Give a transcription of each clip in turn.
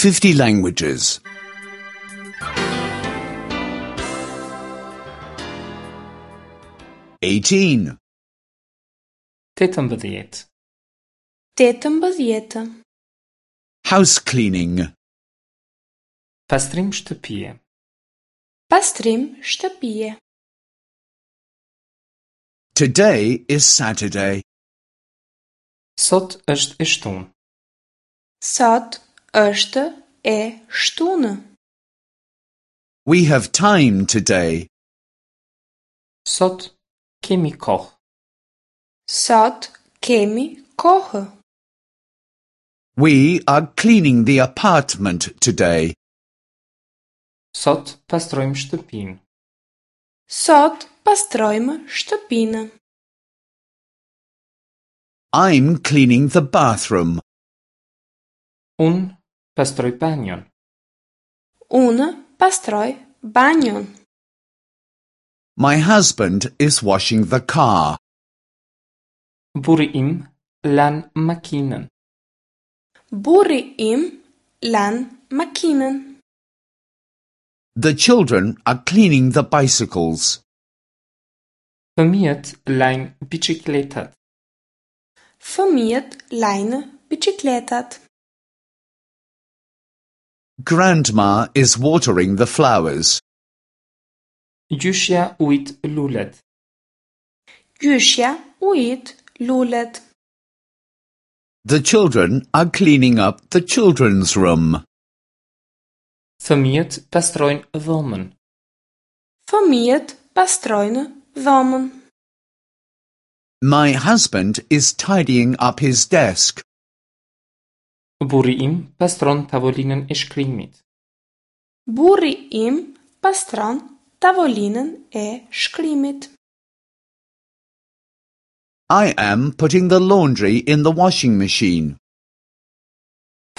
50 languages. 18. 18. 18. House cleaning. Pastrim shtëpie. Pastrim shtëpie. Today is Saturday. Sot është e shtunë. Sot është e shtunë. We have time today. Sot kemi kohë. Sot kemi kohë. We are cleaning the apartment today. Sot pastrojmë shtëpinë. Sot pastrojmë shtëpinë. I'm cleaning the bathroom. Unë pastroj banjon. Unë pastroj banjon. My husband is washing the car. Burri im lan makinën. Burri im lan makinën. The children are cleaning the bicycles. Fëmijët lajnë biçikletat. Fëmijët lajnë biçikletat. Grandma is watering the flowers. Gjyshja ujit lulet. Gjyshja ujit lulet. The children are cleaning up the children's room. Fëmijët pastrojnë dhomën. Fëmijët pastrojnë dhomën. My husband is tidying up his desk. Burri im pastron tavolinën e shkrimit. Burri im pastron tavolinën e shkrimit. I am putting the laundry in the washing machine.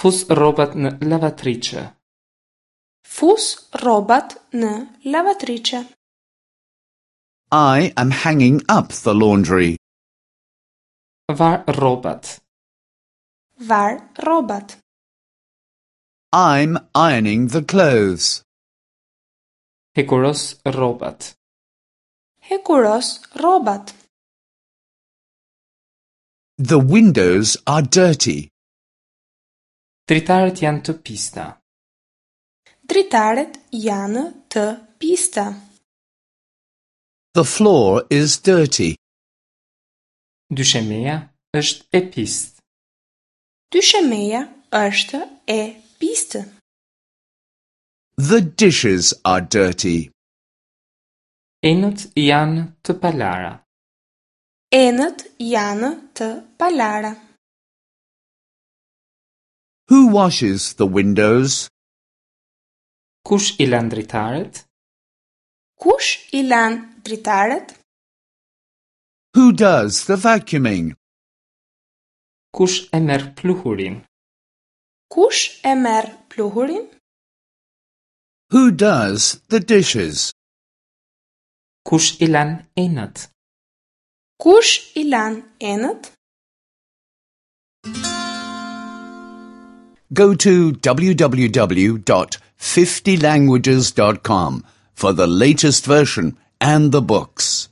Fus rrobat në lavatriçe. Fus rrobat në lavatriçe. I am hanging up the laundry. Var rrobat. Var rrobat. I'm ironing the clothes. Hekuros rrobat. Hekuros rrobat. The windows are dirty. Dritaret janë të pista. Dritaret janë të pista. The floor is dirty. Dyshemeja është e pistë. Dyshemeja është e pistë. The dishes are dirty. Enët janë të palara. Enët janë të palara. Who washes the windows? Kush i lan dritaret? Kush i lan dritaret? Who does the vacuuming? Kush e merr pluhurin? Kush e merr pluhurin? Who does the dishes? Kush i lan enët? Kush i lan enët? Go to www.50languages.com for the latest version and the books.